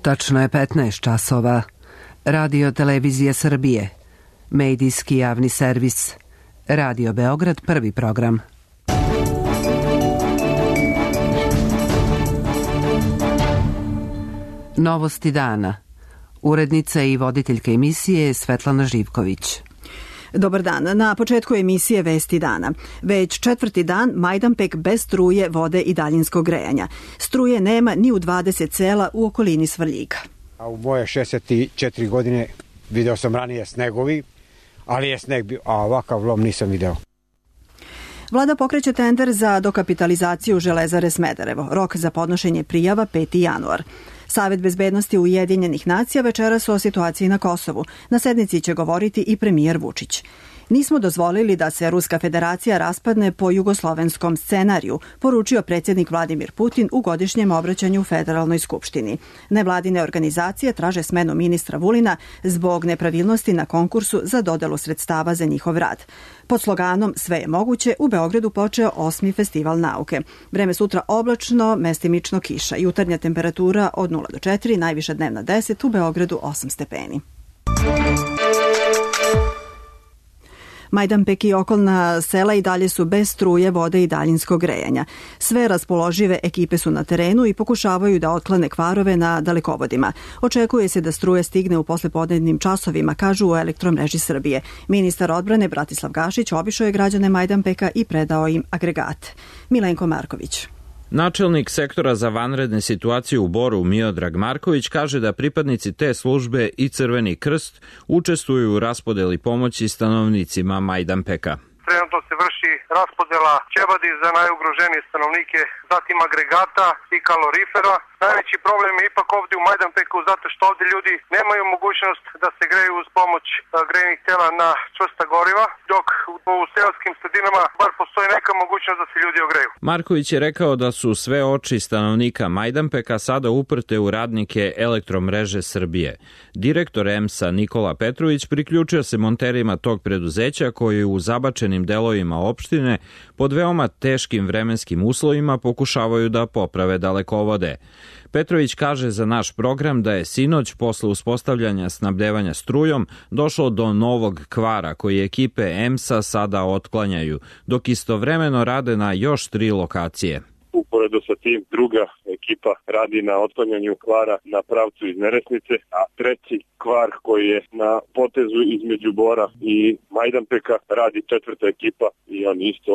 Tačno je 15 časova. Radio Televizija Srbije. Medijski javni servis. Radio Beograd, prvi program. Novosti dana. Urednica i voditeljka emisije Svetlana Živković. Dobar dan. Na početku emisije Vesti dana. Već 4. dan Majdanpek bez struje, vode i daljinskog grejanja. Struje nema ni u 20 sela u okolini Svrljiga. A u moje 64 godine video sam ranije snegovi, ali je sneg bio, a ovakav lom nisam video. Vlada pokreće tender za dokapitalizaciju Železare Smederevo. Rok za podnošenje prijava 5. januar. Savet bezbednosti Ujedinjenih nacija večeras o situaciji na Kosovu. Na sednici će govoriti i premijer Vučić. Nismo dozvolili da se Ruska federacija raspadne po jugoslovenskom scenariju, poručio predsjednik Vladimir Putin u godišnjem obraćanju Federalnoj skupštini. Nevladine organizacije traže smenu ministra Vulina zbog nepravilnosti na konkursu za dodelu sredstava za njihov rad. Pod sloganom Sve je moguće u Beogradu počeo 8. festival nauke. Vreme sutra oblačno, mestimično kiša. Jutarnja temperatura od 0 do 4, najviša dnevna 10, u Beogradu 8 stepeni. Majdanpek i okolna sela i dalje su bez struje, vode i daljinskog grejanja. Sve raspoložive ekipe su na terenu i pokušavaju da otklane kvarove na dalekovodima. Očekuje se da struje stigne u poslepodnevnim časovima, kažu u Elektromreži Srbije. Ministar odbrane Bratislav Gašić obišao je građane Majdanpeka i predao im agregat. Milenko Marković. Načelnik sektora za vanredne situacije u Boru Miodrag Marković kaže da pripadnici te službe i Crveni krst učestvuju u raspodeli pomoći stanovnicima Majdanpeka. Trenutno se vrši raspodela ćebadi za najugroženije stanovnike, zatim agregata i kalorifera. Najveći problem je ipak ovdje u Majdanpeku zato što ovdje ljudi nemaju mogućnost da se greju uz pomoć grejnih tela na čvrsta goriva, dok u seoskim sredinama bar postoji neka mogućnost da se ljudi ogreju. Marković je rekao da su sve oči stanovnika Majdanpeka sada uprte u radnike Elektromreže Srbije. Direktor EMS-a Nikola Petrović priključio se monterima tog preduzeća koji u zabačenim delovima opštine pod veoma teškim vremenskim uslovima pokušavaju da poprave dalekovode. Petrović kaže za naš program da je sinoć posle uspostavljanja snabdevanja strujom došlo do novog kvara koji ekipe EMS-a sada otklanjaju, dok istovremeno rade na još 3 lokacije. Uporedo sa tim druga ekipa radi na otklanjanju kvara na pravcu iz Neresnice, a treći kvar koji je na potezu između Bora i Majdanpeka radi 4. ekipa i oni isto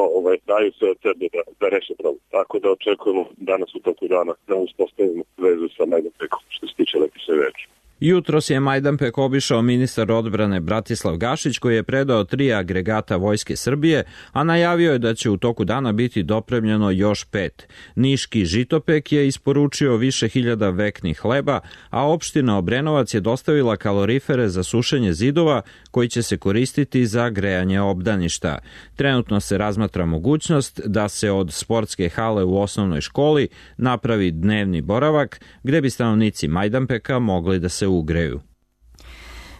daju sve od sebe da reše problem. Tako da očekujemo danas u toku dana da uspostavimo vezu sa Majdanpekom što se tiče električne energije. Jutros je Majdanpek obišao ministar odbrane Bratislav Gašić koji je predao 3 agregata Vojske Srbije, a najavio je da će u toku dana biti dopremljeno još 5. Niški Žitopek je isporučio više hiljada veknih hleba, a opština Obrenovac je dostavila kalorifere za sušenje zidova koji će se koristiti za grejanje obdaništa. Trenutno se razmatra mogućnost da se od sportske hale u osnovnoj školi napravi dnevni boravak gde bi stanovnici Majdanpeka mogli da se ugreju.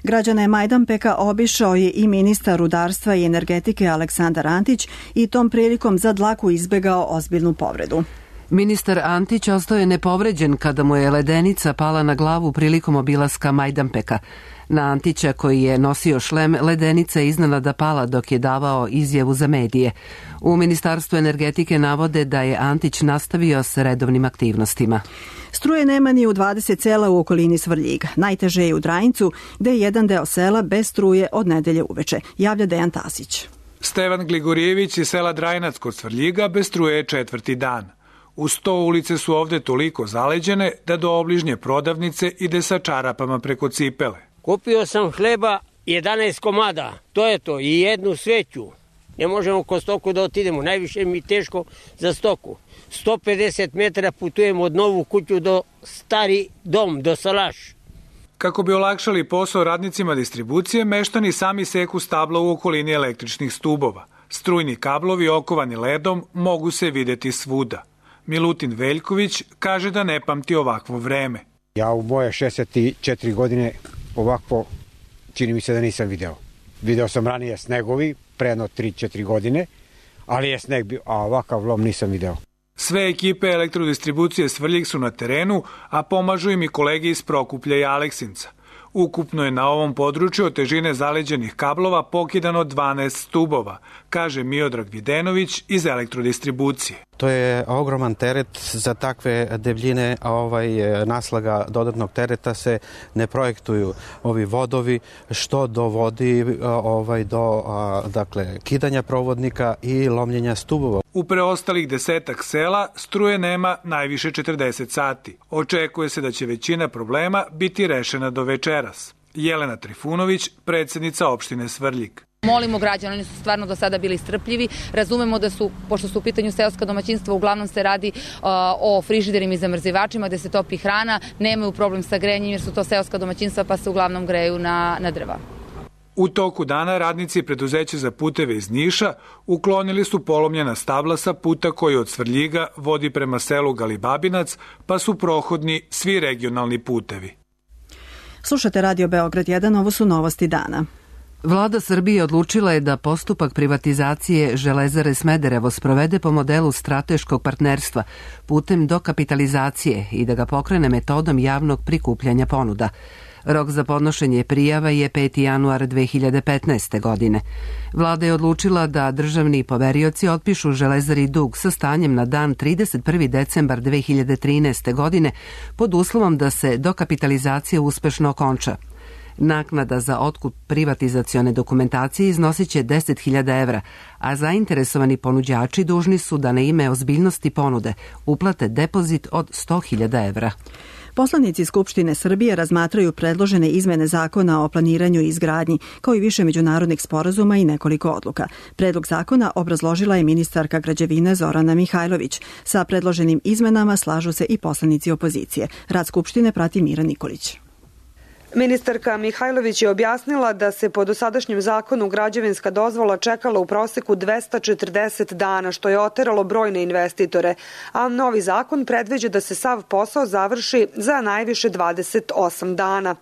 Građane Majdanpeka obišao je i ministar rudarstva i energetike Aleksandar Antić i tom prilikom za dlaku izbegao ozbiljnu povredu. Ministar Antić ostao je nepovređen kada mu je ledenica pala na glavu prilikom obilaska Majdanpeka. Na Antića, koji je nosio šlem, ledenica je iznenada pala dok je davao izjavu za medije. U Ministarstvu energetike navode da je Antić nastavio s redovnim aktivnostima. Struje nema ni u 20 sela u okolini Svrljiga. Najteže je u Drajincu, gde je jedan deo sela bez struje od nedelje uveče, javlja Dejan Tasić. Stevan Gligorijević iz sela Drajinac kod Svrljiga bez struje je 4. dan. Uz to ulice su ovde toliko zaleđene da do obližnje prodavnice ide sa čarapama preko cipele. Kupio sam hleba 11 komada, to je to, i jednu sveću. Ne možemo ko stoku da otidemo, najviše mi je teško za stoku. 150 metara putujem od novu kuću do stari dom, do Salaš. Kako bi olakšali posao radnicima distribucije, meštani sami seku stabla u okolini električnih stubova. Strujni kablovi okovani ledom mogu se videti svuda. Milutin Veljković kaže da ne pamti ovakvo vreme. Ja u moje 64 godine ovakvo čini mi se da nisam video. Video sam ranije snegovi, pre jedno 3-4 godine, ali je sneg bio, a ovakav lom nisam video. Sve ekipe elektrodistribucije Svrljig su na terenu, a pomažu im i kolege iz Prokuplja i Aleksinca. Ukupno je na ovom području od težine zaleđenih kablova pokidano 12 stubova, kaže Miodrag Videnović iz elektrodistribucije. To je ogroman teret za takve debljine, naslaga dodatnog tereta se ne projektuju ovi vodovi, što dovodi do kidanja provodnika i lomljenja stubova. U preostalih 10 sela struje nema najviše 40 sati. Očekuje se da će većina problema biti rešena do večeras. Jelena Trifunović, predsjednica opštine Svrljig. Molimo građane, oni su stvarno do sada bili strpljivi. Razumemo da su, pošto su u pitanju seoska domaćinstva, uglavnom se radi o frižiderima i zamrzivačima gde se topi hrana, nemaju problem sa grejanjem jer su to seoska domaćinstva pa se uglavnom greju na drva. U toku dana radnici preduzeća za puteve iz Niša uklonili su polomljena stabla sa puta koji od Svrljiga vodi prema selu Galibabinac, pa su prohodni svi regionalni putevi. Slušate Radio Beograd 1, ovo su novosti dana. Vlada Srbije odlučila je da postupak privatizacije Železare Smederevo sprovede po modelu strateškog partnerstva putem dokapitalizacije i da ga pokrene metodom javnog prikupljanja ponuda. Rok za podnošenje prijava je 5. januar 2015. godine. Vlada je odlučila da državni poverioci otpišu Železari dug sa stanjem na dan 31. decembar 2013. godine pod uslovom da se dokapitalizacija uspešno okonča. Naknada za otkup privatizacione dokumentacije iznosit će 10.000 evra, a zainteresovani ponuđači dužni su da na ime ozbiljnosti ponude uplate depozit od 100.000 evra. Poslanici Skupštine Srbije razmatraju predložene izmene zakona o planiranju i izgradnji, kao i više međunarodnih sporazuma i nekoliko odluka. Predlog zakona obrazložila je ministarka građevine Zorana Mihajlović. Sa predloženim izmenama slažu se i poslanici opozicije. Rad Skupštine prati Mira Nikolić. Ministarka Mihajlović je objasnila da se po dosadašnjem zakonu građevinska dozvola čekala u proseku 240 dana, što je oteralo brojne investitore, a novi zakon predviđa da se sav posao završi za najviše 28 dana.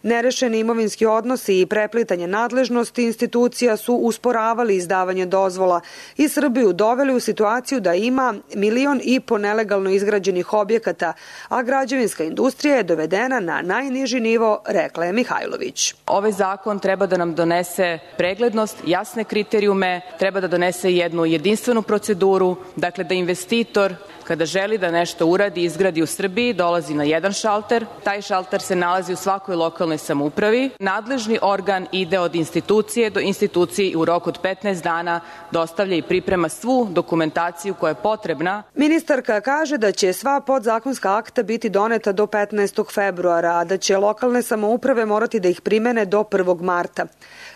Nerešeni imovinski odnosi i preplitanje nadležnosti institucija su usporavali izdavanje dozvola i Srbiju doveli u situaciju da ima 1,5 miliona nelegalno izgrađenih objekata, a građevinska industrija je dovedena na najniži nivo, rekla je Mihajlović. Ovaj zakon treba da nam donese preglednost, jasne kriterijume, treba da donese jednu jedinstvenu proceduru, dakle da investitor kada želi da nešto uradi i izgradi u Srbiji, dolazi na jedan šalter. Taj šalter se nalazi u svakoj lokalnoj samoupravi. Nadležni organ ide od institucije do institucije i u roku od 15 dana dostavlja i priprema svu dokumentaciju koja je potrebna. Ministarka kaže da će sva podzakonska akta biti doneta do 15. februara, a da će lokalne samouprave morati da ih primene do 1. marta.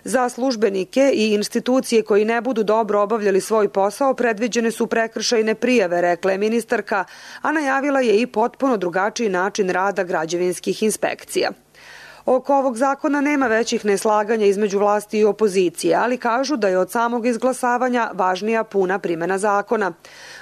Za službenike i institucije koji ne budu dobro obavljali svoj posao predviđene su prekršajne prijave, rekla je ministarka, a najavila je i potpuno drugačiji način rada građevinskih inspekcija. Oko ovog zakona nema većih neslaganja između vlasti i opozicije, ali kažu da je od samog izglasavanja važnija puna primjena zakona.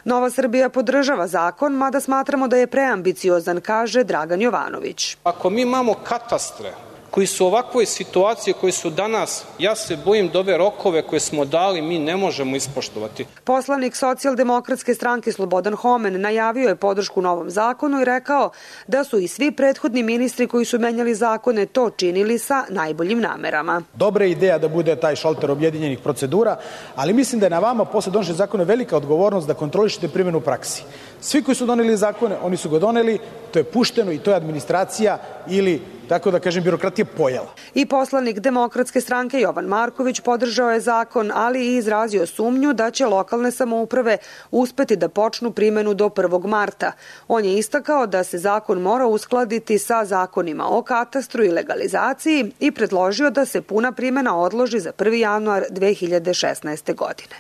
Nova Srbija podržava zakon, mada smatramo da je preambiciozan, kaže Dragan Jovanović. Ako mi imamo katastre koji su u ovakvoj situaciji koji su danas, ja se bojim da ove rokove koje smo dali mi ne možemo ispoštovati. Poslanik Socijaldemokratske stranke Slobodan Homen najavio je podršku novom zakonu i rekao da su i svi prethodni ministri koji su menjali zakone to činili sa najboljim namerama. Dobra ideja da bude taj šalter objedinjenih procedura, ali mislim da je na vama posle donošenja zakona velika odgovornost da kontrolišete primjenu u praksi. Svi koji su doneli zakone, oni su ga doneli, to je pušteno i to je administracija ili, tako da kažem, birokratija pojela. I poslanik Demokratske stranke Jovan Marković podržao je zakon, ali i izrazio sumnju da će lokalne samouprave uspeti da počnu primjenu do 1. marta. On je istakao da se zakon mora uskladiti sa zakonima o katastru i legalizaciji i predložio da se puna primjena odloži za 1. januar 2016. godine.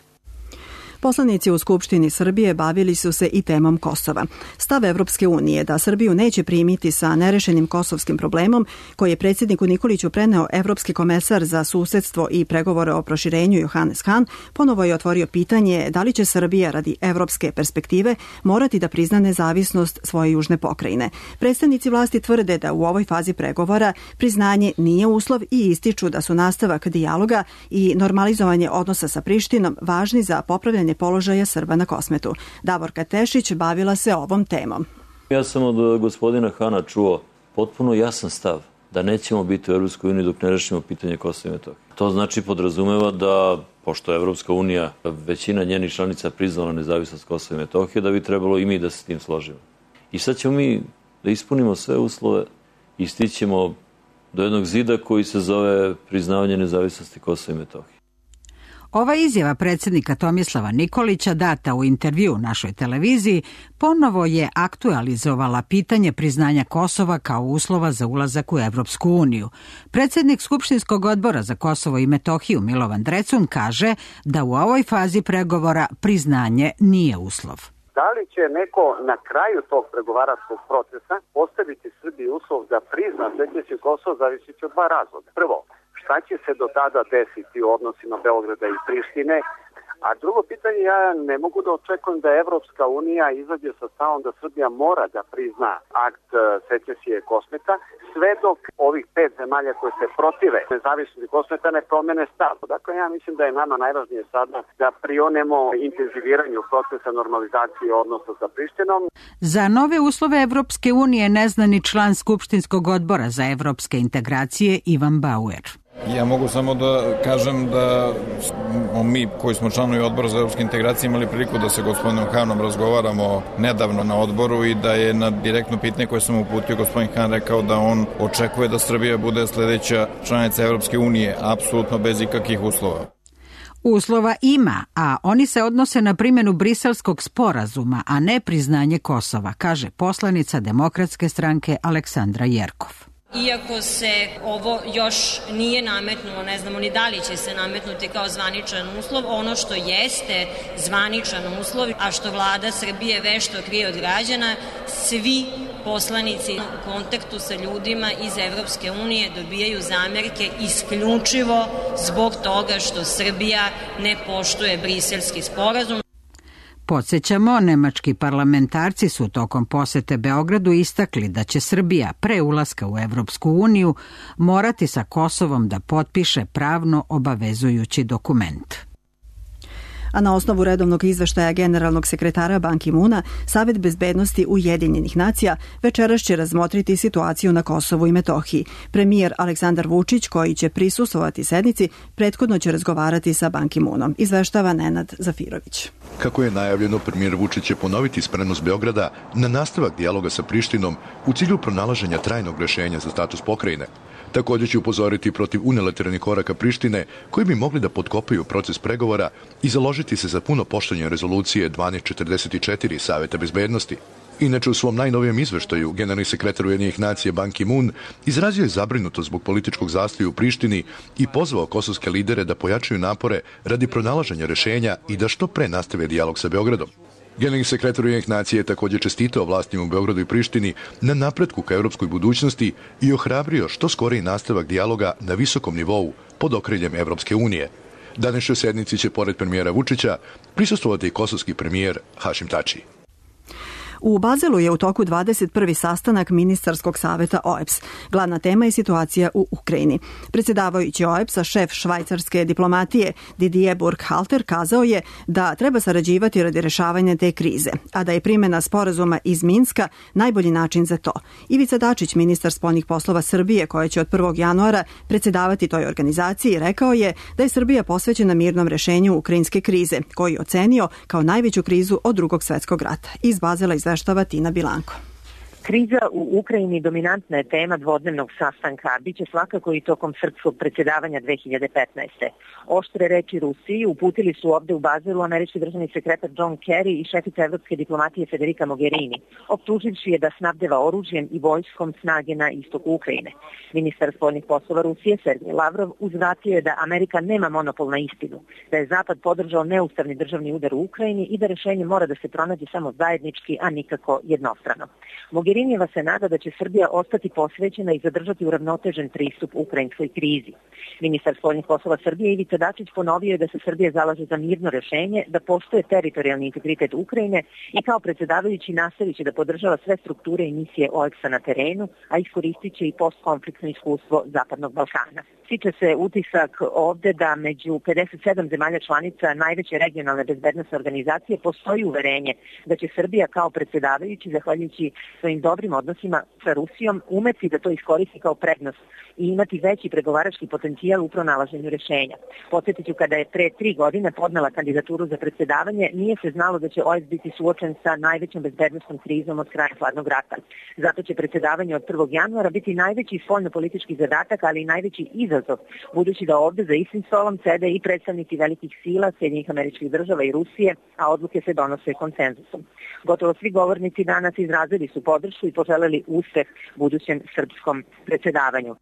Poslanici u Skupštini Srbije bavili su se i temom Kosova. Stav Evropske unije da Srbiju neće primiti sa nerešenim kosovskim problemom, koji je predsjedniku Nikoliću preneo Evropski komesar za susedstvo i pregovore o proširenju Johannes Hahn, ponovo je otvorio pitanje da li će Srbija radi evropske perspektive morati da prizna nezavisnost svoje južne pokrajine. Predstavnici vlasti tvrde da u ovoj fazi pregovora priznanje nije uslov i ističu da su nastavak dijaloga i normalizovanje odnosa sa Prištinom važni za popravljanje uređivanje položaja Srba na Kosmetu. Davorka Tešić bavila se ovom temom. Ja sam od gospodina Hana čuo potpuno jasan stav da nećemo biti u Evropskoj uniji dok ne rešimo pitanje Kosova i Metohije. To znači podrazumeva da, pošto je Evropska unija, većina njenih članica priznala nezavisnost Kosova i Metohije, da bi trebalo i mi da se s tim složimo. I sad ćemo mi da ispunimo sve uslove i stićemo do jednog zida koji se zove priznavanje nezavisnosti Kosova i Metohije. Ova izjava predsjednika Tomislava Nikolića data u intervju našoj televiziji ponovo je aktualizovala pitanje priznanja Kosova kao uslova za ulazak u Evropsku uniju. Predsjednik Skupštinskog odbora za Kosovo i Metohiju Milovan Drecun kaže da u ovoj fazi pregovora priznanje nije uslov. Da li će neko na kraju tog pregovaračkog procesa postaviti Srbiji uslov da prizna treći Kosovo, zavisi od dva razloga. Prvo, šta će se do tada desiti u odnosima Beograda i Prištine, a drugo pitanje, ja ne mogu da očekujem da Evropska unija izađe sa stavom da Srbija mora da prizna akt secesije Kosmeta, sve dok ovih 5 zemalja koje se protive nezavisnosti Kosmeta ne promene stav. Dakle, ja mislim da je nama najvažnije sada da prionemo intenziviranju procesa normalizacije odnosa sa Prištinom. Za nove uslove Evropske unije ne zna ni član Skupštinskog odbora za evropske integracije Ivan Bauer. Ja mogu samo da kažem da mi koji smo članovi odbora za evropske integracije imali priliku da se gospodinom Hanom razgovaramo nedavno na odboru i da je na direktno pitanje koje sam uputio gospodin Han rekao da on očekuje da Srbija bude sledeća članica Evropske unije, apsolutno bez ikakvih uslova. Uslova ima, a oni se odnose na primjenu Briselskog sporazuma, a ne priznanje Kosova, kaže poslanica Demokratske stranke Aleksandra Jerkov. Iako se ovo još nije nametnulo, ne znamo ni da li će se nametnuti kao zvaničan uslov, ono što jeste zvaničan uslov, a što vlada Srbije vešto krije od građana, svi poslanici u kontaktu sa ljudima iz Evropske unije dobijaju zamerke isključivo zbog toga što Srbija ne poštuje Briselski sporazum. Podsjećamo, nemački parlamentarci su tokom posete Beogradu istakli da će Srbija pre ulaska u Evropsku uniju morati sa Kosovom da potpiše pravno obavezujući dokument. A na osnovu redovnog izveštaja generalnog sekretara Ban Ki-moona, Savet bezbednosti Ujedinjenih nacija večeras će razmotriti situaciju na Kosovu i Metohiji. Premijer Aleksandar Vučić, koji će prisustvovati sednici, prethodno će razgovarati sa Ban Ki-moonom, izveštava Nenad Zafirović. Kako je najavljeno, premijer Vučić će ponoviti spremnost Beograda na nastavak dijaloga sa Prištinom u cilju pronalaženja trajnog rešenja za status pokrajine. Također će upozoriti protiv unilateralnih koraka Prištine koji bi mogli da potkopaju proces pregovora i založiti se za puno poštovanje rezolucije 1244 Saveta bezbednosti. Inače, u svom najnovijem izveštaju, generalni sekretar Ujedinjenih nacija Ban Ki-moon izrazio je zabrinutost zbog političkog zastoja u Prištini i pozvao kosovske lidere da pojačaju napore radi pronalaženja rešenja i da što pre nastave dijalog sa Beogradom. Generalni sekretar Ujedinjenih nacija je također čestitao vlastima u Beogradu i Prištini na napretku ka evropskoj budućnosti i ohrabrio što skoriji nastavak dijaloga na visokom nivou pod okriljem Evropske unije. Današnjoj sednici će, pored premijera Vučića, prisustvovati i kosovski premijer Hašim Tači. U Bazelu je u toku 21. sastanak ministarskog saveta OEBS. Glavna tema je situacija u Ukrajini. Predsjedavajući OEBS-a, šef švajcarske diplomatije Didier Burkhalter kazao je da treba sarađivati radi rešavanja te krize, a da je primjena sporazuma iz Minska najbolji način za to. Ivica Dačić, ministar spoljnih poslova Srbije, koja će od 1. januara predsjedavati toj organizaciji, rekao je da je Srbija posvećena mirnom rešenju ukrajinske krize, koji je ocenio kao najveću krizu od Drugog svjetskog rata. Iz Bazela izveštava Tina Bilanko. Kriza u Ukrajini dominantna je tema dvodnevnog sastanka, a biće svakako i tokom srpskog predsjedavanja 2015. Oštre reči Rusiji uputili su ovde u Bazelu američki državni sekretar John Kerry i šefica evropske diplomatije Federica Mogherini, optuživši je da snabdeva oružjem i vojskom snage na istoku Ukrajine. Ministar spoljnih poslova Rusije Sergej Lavrov uzvratio je da Amerika nema monopol na istinu, da je Zapad podržao neustavni državni udar u Ukrajini i da rešenje mora da se pronađe samo zajednički, a nikako jednostrano. Mogherini Skrinjeva se nada da će Srbija ostati posvećena i zadržati uravnotežen pristup ukrajinskoj krizi. Ministar spoljnih poslova Srbije Ivica Dačić ponovio je da se Srbija zalaže za mirno rešenje, da poštuje teritorijalni integritet Ukrajine i kao predsjedavajući nastavit će da podržava sve strukture i misije OEX-a na terenu, a iskoristit će i postkonfliktno iskustvo Zapadnog Balkana. Stiče se utisak ovde da među 57 zemalja članica najveće regionalne bezbednosne organizacije postoji uverenje da će Srbija kao predsjedavajući, zahvaljujući svojim dobrim odnosima sa Rusijom, umeti da to iskoristi kao prednost i imati veći pregovarački potencijal u pronalaženju rešenja. Podsjetit ću, kada je pre 3 godine podnela kandidaturu za predsjedavanje, nije se znalo da će OEX biti suočen sa najvećom bezbednosnom krizom od kraja hladnog rata. Zato će predsjedavanje od 1. januara biti najveći spoljno-politički zadatak, ali i najveći izazov, budući da ovde za istim stolom sede i predstavnici velikih sila, Sjedinjenih Američkih Država i Rusije, a odluke se donose konsenzusom. Gotovo svi govornici danas izrazili su podršku i poželeli uspeh budućem srpskom predsjedavanju.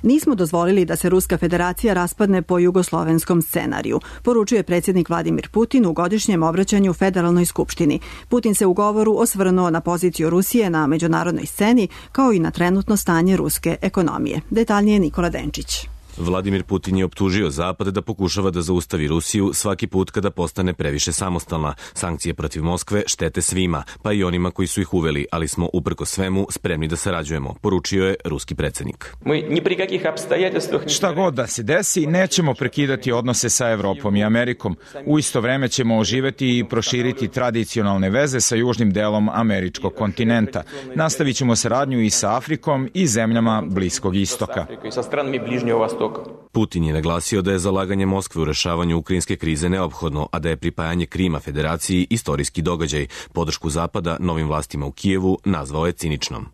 Nismo dozvolili da se Ruska federacija raspadne po jugoslovenskom scenariju, poručuje predsjednik Vladimir Putin u godišnjem obraćanju Federalnoj skupštini. Putin se u govoru osvrnuo na poziciju Rusije na međunarodnoj sceni, kao i na trenutno stanje ruske ekonomije. Detaljnije Nikola Denčić. Vladimir Putin je optužio Zapad da pokušava da zaustavi Rusiju svaki put kada postane previše samostalna. Sankcije protiv Moskve štete svima, pa i onima koji su ih uveli, ali smo uprko svemu spremni da sarađujemo, poručio je ruski predsjednik. Šta god da se desi, nećemo prekidati odnose sa Evropom i Amerikom. U isto vreme ćemo oživeti i proširiti tradicionalne veze sa južnim delom američkog kontinenta. Nastavit ćemo saradnju i sa Afrikom i zemljama Bliskog istoka. Putin je naglasio da je zalaganje Moskve u rešavanju ukrajinske krize neophodno, a da je pripajanje Krima federaciji istorijski događaj. Podršku Zapada novim vlastima u Kijevu nazvao je ciničnom.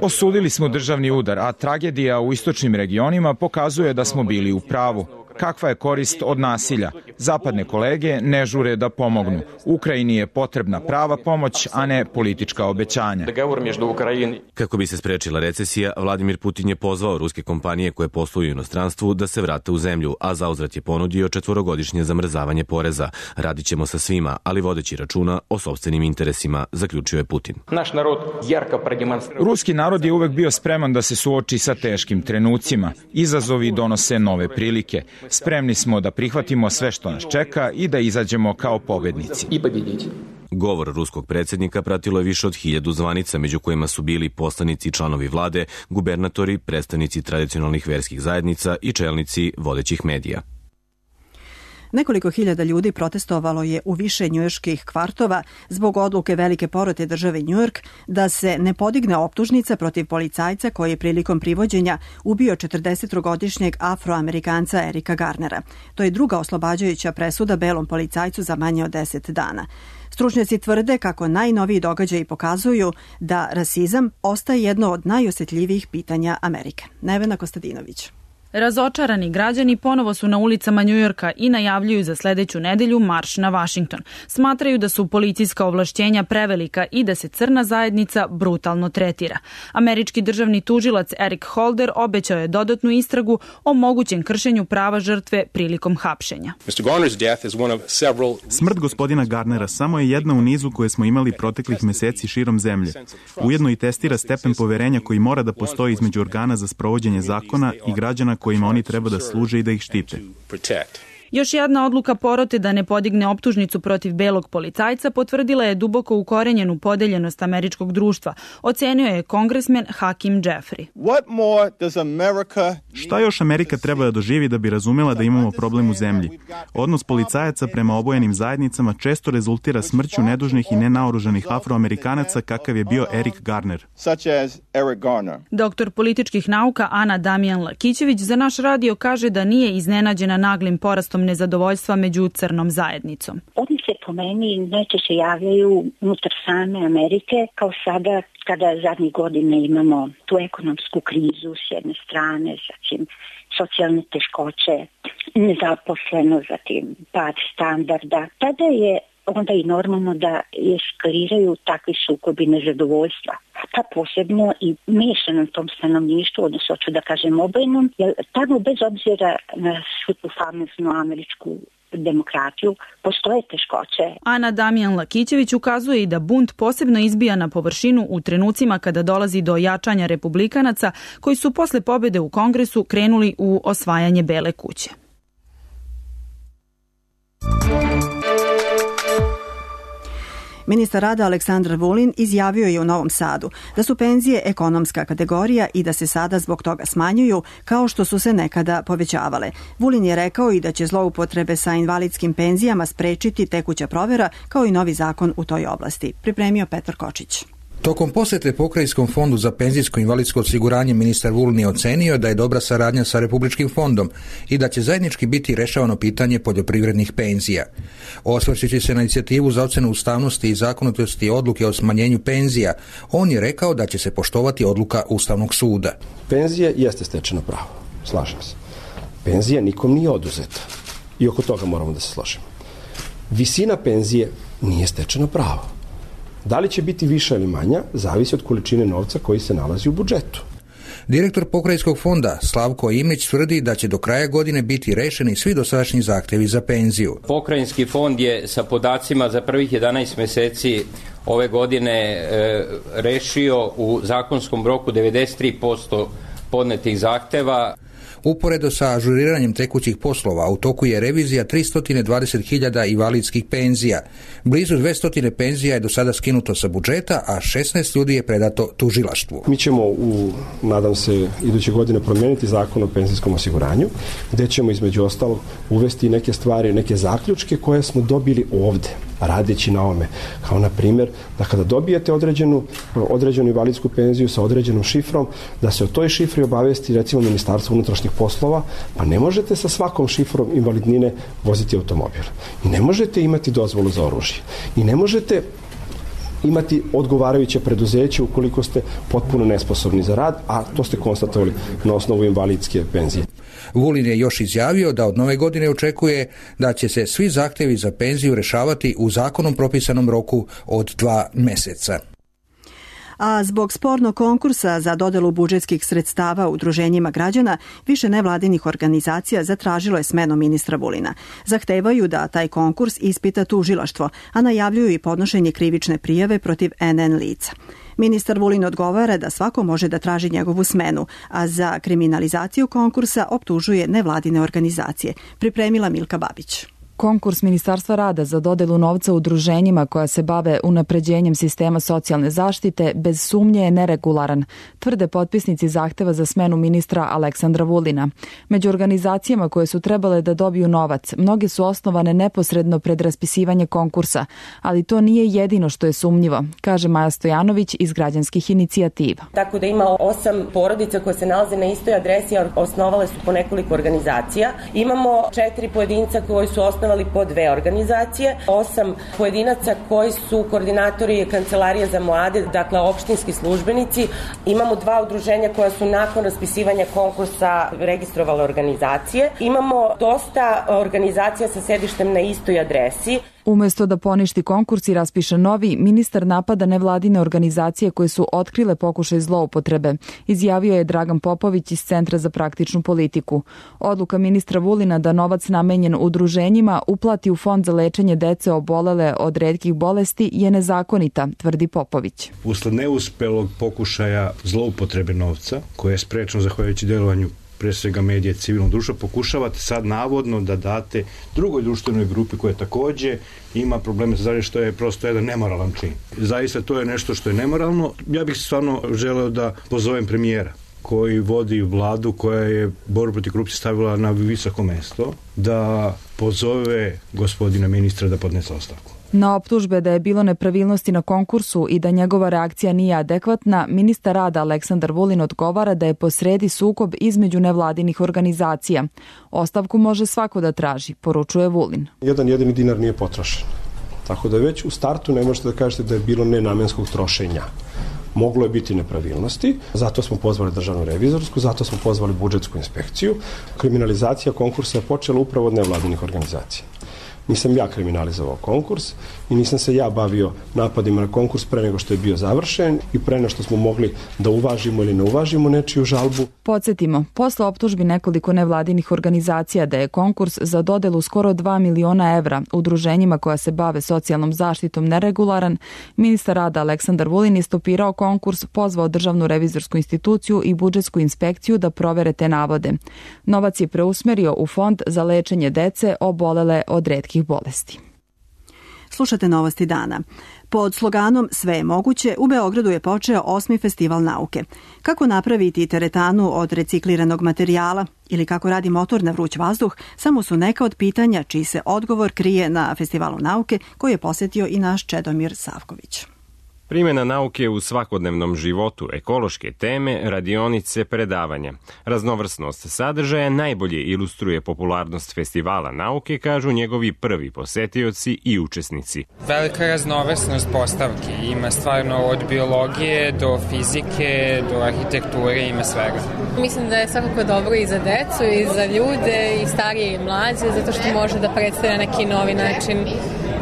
Osudili smo državni udar, a tragedija u istočnim regionima pokazuje da smo bili u pravu. Kakva je korist od nasilja? Zapadne kolege ne žure da pomognu. Ukrajini je potrebna prava pomoć, a ne politička obećanja. Kako bi se sprečila recesija, Vladimir Putin je pozvao ruske kompanije koje posluju u inostranstvu da se vrate u zemlju, a zauzvrat je ponudio 4-godišnje zamrzavanje poreza. Radit ćemo sa svima, ali vodeći računa o sopstvenim interesima, zaključio je Putin. Ruski narod je uvek bio spreman da se suoči sa teškim trenucima. Izazovi donose nove prilike. Spremni smo da prihvatimo sve što nas čeka i da izađemo kao pobednici. Govor ruskog predsjednika pratilo je više od 1000 zvanica, među kojima su bili poslanici i članovi vlade, gubernatori, predstavnici tradicionalnih verskih zajednica i čelnici vodećih medija. Nekoliko hiljada ljudi protestovalo je u više njujorških kvartova zbog odluke velike porote države Njujork da se ne podigne optužnica protiv policajca koji je prilikom privođenja ubio 43-godišnjeg Afroamerikanca Erika Garnera. To je druga oslobađajuća presuda belom policajcu za manje od 10 dana. Stručnjaci tvrde kako najnoviji događaji pokazuju da rasizam ostaje jedno od najosjetljivijih pitanja Amerike. Nevena Kostadinović. Razočarani građani ponovo su na ulicama Njujorka i najavljuju za sledeću nedelju marš na Vašington. Smatraju da su policijska ovlašćenja prevelika i da se crna zajednica brutalno tretira. Američki državni tužilac Eric Holder obećao je dodatnu istragu o mogućem kršenju prava žrtve prilikom hapšenja. Smrt gospodina Garnera samo je jedna u nizu koje smo imali proteklih meseci širom zemlje. Ujedno i testira stepen poverenja koji mora da postoji između organa za sprovođenje zakona i građana kojima oni treba da služe i da ih štite. Još jedna odluka porote da ne podigne optužnicu protiv belog policajca potvrdila je duboko ukorenjenu podeljenost američkog društva, ocenio je kongresmen Hakim Jeffrey. Šta još Amerika treba da doživi da bi razumela da imamo problem u zemlji? Odnos policajaca prema obojenim zajednicama često rezultira smrću nedužnih i nenaoružanih Afroamerikanaca kakav je bio Erik Garner. Doktor političkih nauka Ana Damijan Lakićević za naš radio kaže da nije iznenađena naglim porastom nezadovoljstva među crnom zajednicom. Oni se po meni najčešće javljaju unutar same Amerike, kao sada kada zadnjih godina imamo tu ekonomsku krizu s jedne strane, zatim socijalne teškoće, nezaposlenost, zatim pad standarda. Tada je onda i normalno da eskaliraju takvi sukobi nezadovoljstva. Pa posebno i miješanom tom stanovništvu, odnosno hoću da kažem obojnom, jer tamo bez obzira na svu tu famoznu američku demokratiju, postoje teškoće. Ana Damjan-Lakićević ukazuje i da bunt posebno izbija na površinu u trenucima kada dolazi do jačanja republikanaca koji su posle pobede u Kongresu krenuli u osvajanje Bele kuće. Ministar rada Aleksandar Vulin izjavio je u Novom Sadu da su penzije ekonomska kategorija i da se sada zbog toga smanjuju kao što su se nekada povećavale. Vulin je rekao i da će zloupotrebe sa invalidskim penzijama sprečiti tekuća provera kao i novi zakon u toj oblasti. Pripremio Petar Kočić. Tokom posete Pokrajinskom fondu za penzijsko i invalidsko osiguranje ministar Vulin je ocenio da je dobra saradnja sa Republičkim fondom i da će zajednički biti rešavano pitanje poljoprivrednih penzija. Osvrćući se na inicijativu za ocenu ustavnosti i zakonitosti odluke o smanjenju penzija, on je rekao da će se poštovati odluka Ustavnog suda. Penzija jeste stečeno pravo, slažem se. Penzija nikom nije oduzeta i oko toga moramo da se složimo. Visina penzije nije stečeno pravo. Da li će biti više ili manja, zavisi od količine novca koji se nalazi u budžetu. Direktor Pokrajinskog fonda Slavko Imić tvrdi da će do kraja godine biti rešeni svi dosadašnji zahtevi za penziju. Pokrajinski fond je sa podacima za prvih 11 meseci ove godine rešio u zakonskom roku 93% podnetih zahteva. Uporedo sa ažuriranjem tekućih poslova, u toku je revizija 320.000 invalidskih penzija. Blizu 200 penzija je do sada skinuto sa budžeta, a 16 ljudi je predato tužilaštvu. Mi ćemo nadam se, iduće godine promijeniti zakon o penzijskom osiguranju, gde ćemo između ostalog uvesti neke stvari, neke zaključke koje smo dobili ovde, radeći na ovome. Kao na primjer, da kada dobijete određenu invalidsku penziju sa određenom šifrom, da se o toj šifri obavesti recimo Ministarstvo unutrašnjih poslova, pa ne možete sa svakom šifrom invalidnine voziti automobil. I ne možete imati dozvolu za oružje. I ne možete imati odgovarajuće preduzeće ukoliko ste potpuno nesposobni za rad, a to ste konstatovali na osnovu invalidske penzije. Vulin je još izjavio da od nove godine očekuje da će se svi zahtevi za penziju rešavati u zakonom propisanom roku od 2 meseca. A zbog spornog konkursa za dodelu budžetskih sredstava udruženjima građana, više nevladinih organizacija zatražilo je smenu ministra Vulina. Zahtevaju da taj konkurs ispita tužilaštvo, a najavljuju i podnošenje krivične prijave protiv NN lica. Ministar Vulin odgovara da svako može da traži njegovu smenu, a za kriminalizaciju konkursa optužuje nevladine organizacije. Pripremila Milka Babić. Konkurs Ministarstva rada za dodelu novca udruženjima koja se bave unapređenjem sistema socijalne zaštite bez sumnje je neregularan, tvrde potpisnici zahteva za smenu ministra Aleksandra Vulina. Među organizacijama koje su trebale da dobiju novac, mnoge su osnovane neposredno pred raspisivanje konkursa, ali to nije jedino što je sumnjivo, kaže Maja Stojanović iz Građanskih inicijativa. Tako da ima 8 porodica koje se nalaze na istoj adresi, a osnovale su po nekoliko organizacija. Imamo 4 pojedinca koji su osnovali po 2 organizacije, 8 pojedinaca koji su koordinatori Kancelarije za mlade, dakle opštinski službenici. Imamo 2 udruženja koja su nakon raspisivanja konkursa registrovale organizacije. Imamo dosta organizacija sa sedištem na istoj adresi. Umesto da poništi konkurs i raspiše novi, ministar napada nevladine organizacije koje su otkrile pokušaj zloupotrebe, izjavio je Dragan Popović iz Centra za praktičnu politiku. Odluka ministra Vulina da novac namenjen udruženjima uplati u fond za lečenje dece obolele od retkih bolesti je nezakonita, tvrdi Popović. Usled neuspelog pokušaja zloupotrebe novca, koje je sprečeno zahvaljujući delovanju pre svega medije civilnog društva, pokušavate sad navodno da date drugoj društvenoj grupi koja takođe ima probleme sa zdravljem, što je prosto jedan nemoralan čin. Zaista to je nešto što je nemoralno. Ja bih stvarno želeo da pozovem premijera koji vodi vladu koja je borbu protiv korupcije stavila na visoko mesto, da pozove gospodina ministra da podnese ostavku. Na optužbe da je bilo nepravilnosti na konkursu i da njegova reakcija nije adekvatna, ministar rada Aleksandar Vulin odgovara da je posredi sukob između nevladinih organizacija. Ostavku može svako da traži, poručuje Vulin. Jedan jedini dinar nije potrošen. Tako da već u startu ne možete da kažete da je bilo nenamenskog trošenja. Moglo je biti nepravilnosti, zato smo pozvali državnu revizorsku, zato smo pozvali budžetsku inspekciju. Kriminalizacija konkursa je počela upravo od nevladinih organizacija. nisam ja kriminalizovao konkurs i nisam se ja bavio napadima na konkurs pre nego što je bio završen i pre nego što smo mogli da uvažimo ili ne uvažimo nečiju žalbu. Podsjetimo, posle optužbi nekoliko nevladinih organizacija da je konkurs za dodelu skoro 2 miliona evra udruženjima koja se bave socijalnom zaštitom neregularan, ministar rada Aleksandar Vulin je stopirao konkurs, pozvao Državnu revizorsku instituciju i budžetsku inspekciju da provere te navode. Novac je preusmerio u fond za lečenje dece obolele od retkih bolesti. Slušate Novosti dana. Pod sloganom Sve je moguće, u Beogradu je počeo 8. festival nauke. Kako napraviti teretanu od recikliranog materijala ili kako radi motor na vruć vazduh, samo su neka od pitanja čiji se odgovor krije na Festivalu nauke koji je posjetio i naš Čedomir Savković. Primjena nauke u svakodnevnom životu, ekološke teme, radionice, predavanja. Raznovrsnost sadržaja najbolje ilustruje popularnost Festivala nauke, kažu njegovi prvi posetioci i učesnici. Velika raznovrsnost postavki. Ima stvarno od biologije do fizike, do arhitekture, ima svega. Mislim da je svakako dobro i za decu, i za ljude, i starije i mlađe, zato što može da predstavlja neki novi način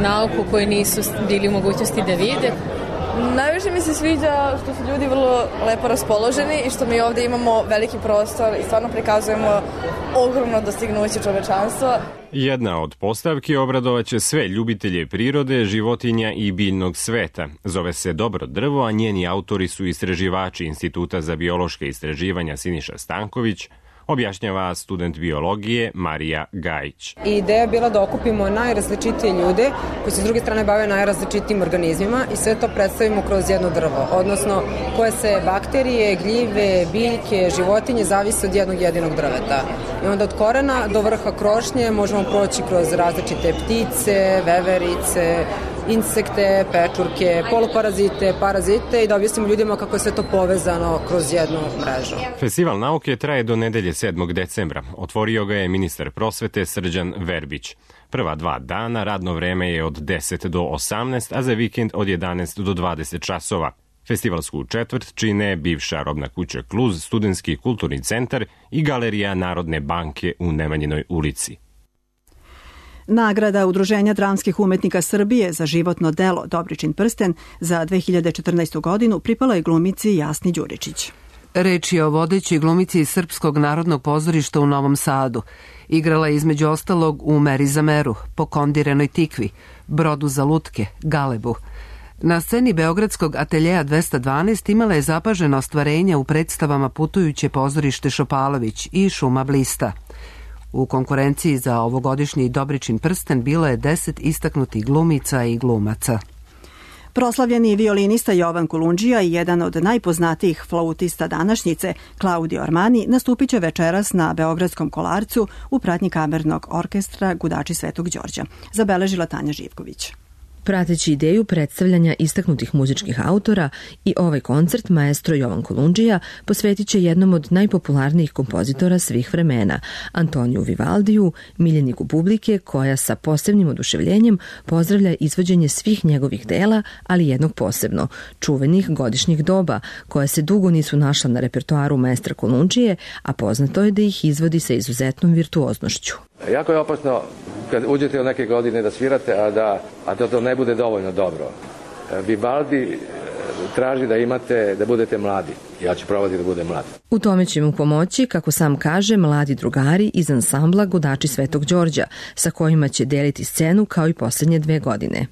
nauku koji nisu bili u mogućnosti da vide. Najviše mi se sviđa što su ljudi vrlo lepo raspoloženi i što mi ovde imamo veliki prostor i stvarno prikazujemo ogromno dostignuće čovečanstva. Jedna od postavki obradovaće sve ljubitelje prirode, životinja i biljnog sveta. Zove se Dobro drvo, a njeni autori su istraživači Instituta za biološke istraživanja Siniša Stanković, objašnjava student biologije Marija Gajić. Ideja je bila da okupimo najrazličitije ljude koji se s druge strane bave najrazličitijim organizmima i sve to predstavimo kroz jedno drvo, odnosno koje se bakterije, gljive, biljke, životinje zavise od jednog jedinog drveta. I onda od korena do vrha krošnje možemo proći kroz različite ptice, veverice, insekte, pečurke, poluparazite, parazite i da objasnimo ljudima kako je sve to povezano kroz jednu mrežu. Festival nauke traje do nedelje 7. decembra. Otvorio ga je ministar prosvete Srđan Verbić. Prva 2 dana radno vreme je od 10 do 18, a za vikend od 11 do 20 časova. Festivalsku četvrt čine bivša robna kuća Kluz, Studentski kulturni centar i Galerija Narodne banke u Nemanjinoj ulici. Nagrada Udruženja dramskih umetnika Srbije za životno delo Dobričin prsten za 2014. godinu pripala je glumici Jasni Đuričić. Reč je o vodećoj glumici iz Srpskog narodnog pozorišta u Novom Sadu. Igrala je između ostalog u Meri za meru, Pokondirenoj tikvi, Brodu za lutke, Galebu. Na sceni Beogradskog ateljeja 212 imala je zapažena ostvarenja u predstavama Putujuće pozorište Šopalović i Šuma Blista. U konkurenciji za ovogodišnji Dobričin prsten bilo je 10 istaknutih glumica i glumaca. Proslavljeni violinista Jovan Kulundžija i jedan od najpoznatijih flautista današnjice, Claudio Armani, nastupit će večeras na Beogradskom Kolarcu u pratnji kamernog orkestra Gudači Svetog Đorđa, zabeležila Tanja Živković. Prateći ideju predstavljanja istaknutih muzičkih autora i ovaj koncert maestro Jovan Kulundžija posvetit će jednom od najpopularnijih kompozitora svih vremena, Antoniju Vivaldiju, miljeniku publike koja sa posebnim oduševljenjem pozdravlja izvođenje svih njegovih dela, ali jednog posebno, čuvenih godišnjih doba, koja se dugo nisu našla na repertoaru maestra Kulundžije, a poznato je da ih izvodi sa izuzetnom virtuoznošću. Jako je opasno kad uđete u neke godine da svirate, a da to ne bude dovoljno dobro. Vivaldi traži da budete mladi. Ja ću probati da budem mlad. U tome će mu pomoći, kako sam kaže, mladi drugari iz ansambla Gudači Svetog Đorđa, sa kojima će deliti scenu kao i posljednje 2 godine.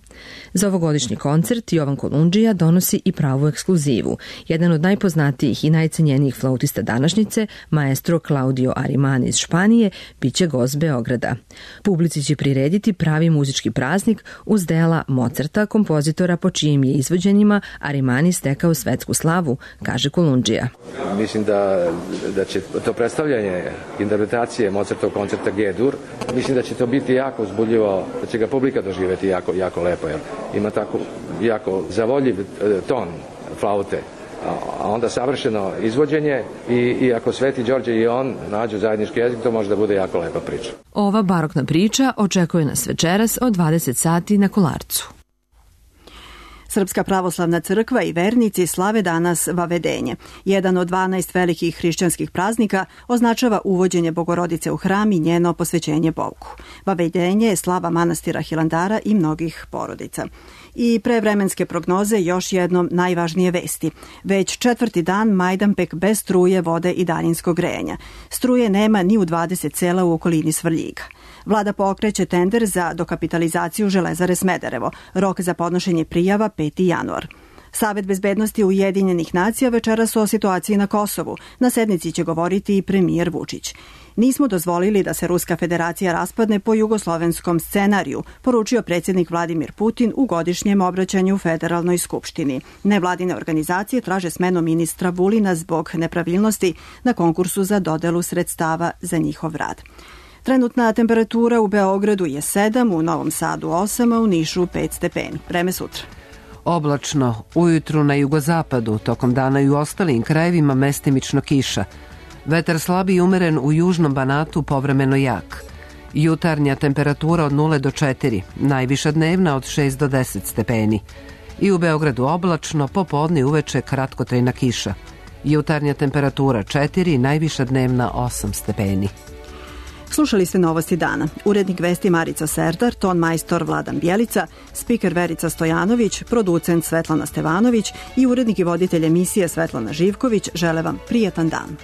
Za ovogodišnji koncert Jovan Kulundžija donosi i pravu ekskluzivu. Jedan od najpoznatijih i najcenjenijih flautista današnjice, maestro Claudio Arimani iz Španije, biće gost Beograda. Publici će prirediti pravi muzički praznik uz dela Mozarta, kompozitora po čijim je izvođenjima Arimani stekao svetsku slavu, kaže Kulundžija. Mislim da će to predstavljanje interpretacije Mozartov koncerta G-dur, mislim da će to biti jako uzbudljivo, da će ga publika doživjeti jako lepo. Jer ima tako jako zavoljiv ton flaute, a onda savršeno izvođenje i ako Sveti Đorđe i on nađu zajednički jezik, to može da bude jako lepa priča. Ova barokna priča očekuje nas večeras od 20 sati na Kolarcu. Srpska pravoslavna crkva i vernici slave danas Vavedenje. Jedan od 12 velikih hrišćanskih praznika označava uvođenje Bogorodice u hram i njeno posvećenje Bogu. Vavedenje je slava manastira Hilandara i mnogih porodica. I pre vremenske prognoze još jednom najvažnije vesti. Već 4. dan Majdanpek bez struje, vode i daljinskog grejanja. Struje nema ni u 20 sela u okolini Svrljiga. Vlada pokreće tender za dokapitalizaciju Železare Smederevo. Rok za podnošenje prijava 5. januar. Savet bezbednosti Ujedinjenih nacija večeras o situaciji na Kosovu. Na sednici će govoriti i premijer Vučić. Nismo dozvolili da se Ruska federacija raspadne po jugoslovenskom scenariju, poručio predsjednik Vladimir Putin u godišnjem obraćanju Federalnoj skupštini. Nevladine organizacije traže smenu ministra Vulina zbog nepravilnosti na konkursu za dodelu sredstava za njihov rad. Trenutna temperatura u Beogradu je 7, u Novom Sadu 8, a u Nišu 5 stepeni. Vreme sutra. Oblačno, ujutru na jugozapadu, tokom dana i u ostalim krajevima mestimično kiša. Vetar slabi i umeren u južnom Banatu, povremeno jak. Jutarnja temperatura od 0 do 4, najviša dnevna od 6 do 10 stepeni. I u Beogradu oblačno, popodne i uveče kratkotrajna kiša. Jutarnja temperatura 4, najviša dnevna 8 stepeni. Slušali ste Novosti dana. Urednik vesti Marica Serdar, ton majstor Vladan Bjelica, spiker Verica Stojanović, producent Svetlana Stevanović i urednik i voditelj emisije Svetlana Živković žele vam prijatan dan.